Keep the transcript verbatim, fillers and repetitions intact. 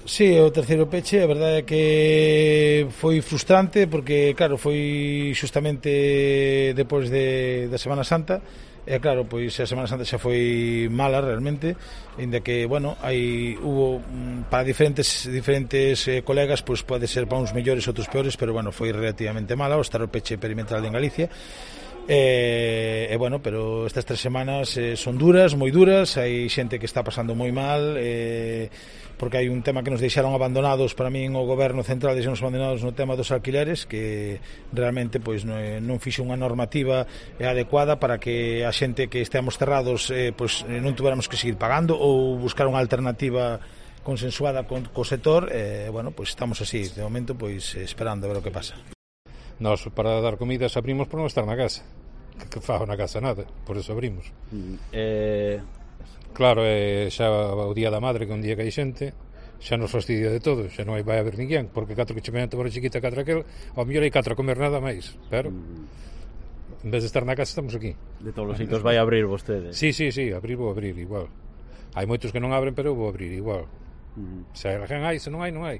Sí, o terceiro peche, a verdade é que foi frustrante porque, claro, foi xustamente depois de, da Semana Santa e, claro, pois a Semana Santa xa foi mala realmente, ainda que, bueno, hai hubo para diferentes diferentes eh, colegas, pois pode ser para uns mellores, outros peores, pero, bueno, foi relativamente mala o estar o peche perimetral en Galicia. E, e bueno, pero estas tres semanas eh, son duras, moi duras, hai xente que está pasando moi mal, eh, porque hai un tema que nos deixaron abandonados, para min o goberno central deixaron abandonados no tema dos alquileres, que realmente pois non, non fixo unha normativa adecuada para que a xente que esteamos cerrados eh, pois non tuveramos que seguir pagando ou buscar unha alternativa consensuada con co sector. E eh, bueno, pois estamos así, de momento pois esperando a ver o que pasa. Nós, para dar comidas, abrimos por non estar na casa. Que, que fago na casa nada, por eso abrimos. Mm, eh... Claro, é xa o día da madre, que un día que hai xente, xa nos fastidia de todo, xa non hai vai haber ninguén, porque catro que chemente por a chiquita, catro aquel, ao mellor hai catro a comer nada máis, pero mm. en vez de estar na casa, estamos aquí. De todos os sitios vai abrir vostede? Sí, sí, sí, abrir vou abrir igual. Hai moitos que non abren, pero eu vou abrir igual. Mm. Se hai, se non hai, non hai.